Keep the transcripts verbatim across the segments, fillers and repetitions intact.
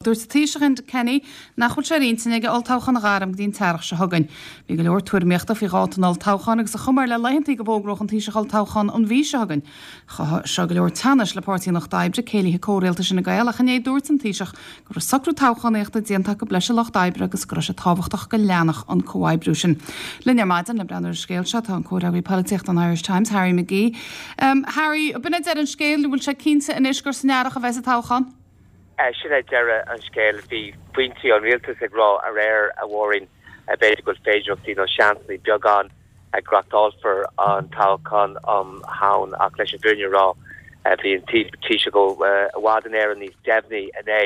Dúirt an Taoiseach Enda Kenny nach bhfuil sé ar intinn aige olltoghchán a ghairm go dtí an t-earrach seo chugainn. Bhí go leor tuairimíochta faoi dháta an olltoghcháin agus an chuma air le laethantaí go bhfógródh an Taoiseach olltoghchán an mhí seo chugainn. Chothaigh seo go leor teannais le Páirtí an Lucht Oibre, céilithe comhrialtais Fhine Gael ach inné dúirt an Taoiseach go raibh socrú toghchánaíochta déanta acu leis an Lucht Oibre agus go raibh sé tábhachtach go leanfadh an comhoibriú sin. Linn ar maidin le breathnú ar an scéal seo tá an comhfhreagraí polaitíochta an Irish Times Harry McGee. Um, Harry, b'in é deireadh an scéil bhfuil sé cinnte anois gur san earrach a bheas an toghchán? sin é deireadh an scéil bhí foinsí an rialtas ag rá aréir a Mháirín b'fhéidir go féidirachtaí nó seansanna beagán ag go reáchtálfar an toghchán um Shamhain ach leis an bhfírinne a rá bhí an Taoiseach i bhfad Éireann níos deimhní inné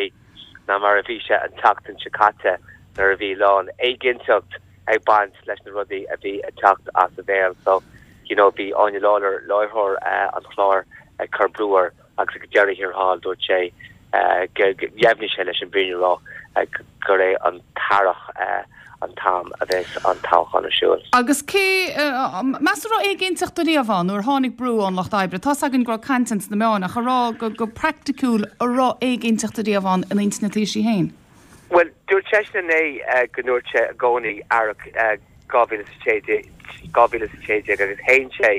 ná mar a bhí sé an tseachtain seo caite nuair a bhí lán éiginnteacht ag baint leis na rudaí a bhí ag teacht as a bhéal so you know bhí Áine Lawlor láithreoir uh, an chláir ag cur brú air agus ag deireadh thiar thall dúirt sé dheimhnigh sé leis an bhfírinne a rá gur é an t-earrach an t-am a bheas an toghchán ar siúl. Agus cé meas raibh éiginnteacht riamh ann nuair tháinig brú ón Lucht Oibre, Tá againn go raibh caint sna meáin ach a rá go, go praiticiúil an raibh éiginnteacht riamh ann in intinn an Taoisigh féin. Well dúirt sé inné go ndúirt sé i gcónaí earrach dhá mhíle sé déag agus shéan sé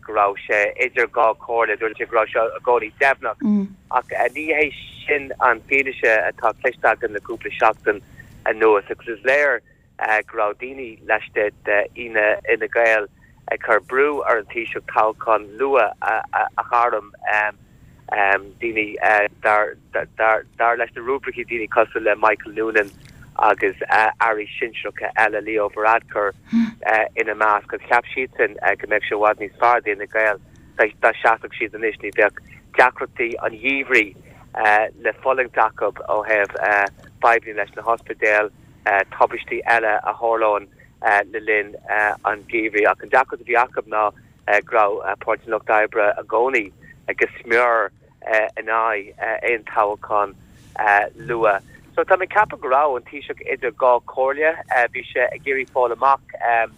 go raibh sé idir dhá chomhairle dúirt sé go raibh sé i gcónaí deimhneach mm. ach ní hé sin an fianaise atá cloiste againn le cúpla seachtain anuas agus is léir go raibh daoine laistigh d'Fhine Gael ag cur brú ar an Taoiseach toghchán luath a ghairm um, daoine uh, dar, dar, dar leis na ruairí daoine cosúil le Michael Noonan agus uh, airí sinsearacha eile Leo Varadkar uh, ina measc agus cheap siadsan uh, go mbeadh sé i bhfad níos fearr d'Fhine Gael dá seasfadh siad anois ní bheadh deacrachtaí an gheimhridh uh, le fulaingt acu ó thaobh uh, fadhbanna leis na hospidéil uh, tubaistí eile a tharlaíonn uh, le linn uh, an gheimhridh ach an deacracht a bhí acu ná uh, go raibh uh, Páirtí an Lucht Oibre i gcónaí agus smior uh, in aghaidh uh, aon toghchán uh, luath. So tá mé ag ceapadh go raibh an Taoiseach idir dhá chomhairle bhí sé ag iarraidh fáil amach um,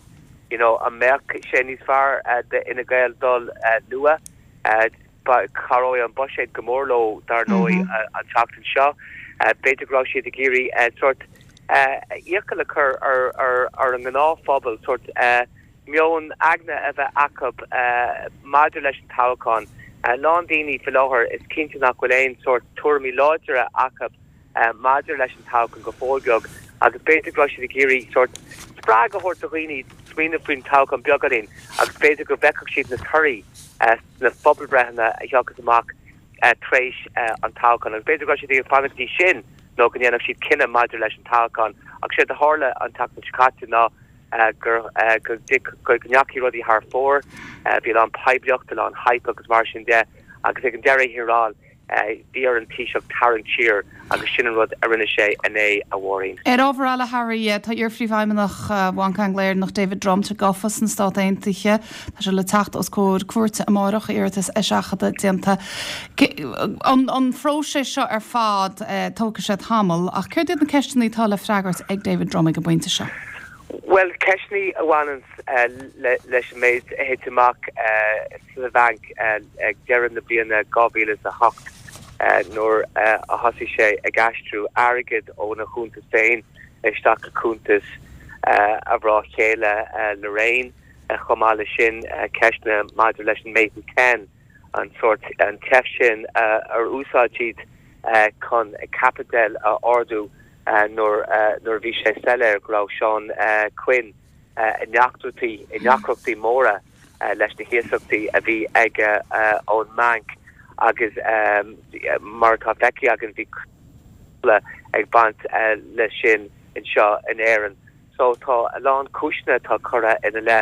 you know, an mbeadh sé níos fearr uh, d'Fhine Gael dul uh, luath uh, cabhróidh an buiséad go mór leo dar ndóigh mm -hmm. uh, an tseachtain seo uh, b'fhéidir go raibh siad ag iarraidh uh, sort uh, iachall a chur ar, ar, ar an ngnáthphobal sort uh, meon aigne a bheith acu uh, maidir leis an toghchán. Uh, lán daoine faoi láthair is cinnte nach bhfuil aon sort tuairimí láidre acu uh, maidir leis an toghchán go fóill agus b'fhéidir go raibh siad ag iarraidh sort spreagadh a thabhairt do dhaoine smaoineamh faoin toghchán beagáinín agus b'fhéidir go bhfeicfeadh siad na torthaí uh, na pobalbhreitheanna a thiocfas amach uh, tar éis uh, an toghchán agus b'fhéidir go raibh siad ag fanacht go dtí sin nó go ndéanfadh siad cinneadh maidir leis an toghchán ach sé a tharla an tseachtain seo caite ná uh, gur uh, go go ndeachaigh rudaí thar fóir uh, bhí an poiblíocht an hype agus mar sin de agus ag an deireadh thiar thall bhí ar an Taoiseach tarraingt siar agus sin an rud a rinne sé inné a Mháirín. Ar ábhar eile Harry tá iar-phríomhfheidhmeannach Bhanc Angla-Éireannach David Drumm gafa sna Stáit Aontaithe Tá sé le teacht os comhair cúirte amárach iarratas eiseachadta déanta. An, an phróiseas seo ar fad tógfaidh sé tamall ach céard iad na ceisteanna atá le freagairt ag David Drumm ag an bpointe seo. Well ceisteanna a bhaineann uh, le, leis an méid a thit amach uh, sa bhanc uh, ag deireadh na bliana dhá mhíle a hocht uh, nuair uh, a thosaigh sé ag aistriú airgead óna chuntas féin isteach i cuntas uh, a mhná chéile uh, Lorraine uh, chomh maith leis sin uh, ceisteanna maidir leis an Maiden Ten an sort an tseift sin uh, ar úsáid siad uh, chun caipiteal a ardú uh, nuair uh, nuair bhí sé soiléir go raibh Sean uh, Quinn uh, i ndeacrachtaí i ndeacrachtaí móra uh, leis na hiasachtaí a bhí aige uh, ón mbanc agus um, mar tá feicthe againn bhí ag baint uh, leis sin anseo in Éirinn. So tá a lán cúiseanna atá curtha ina leith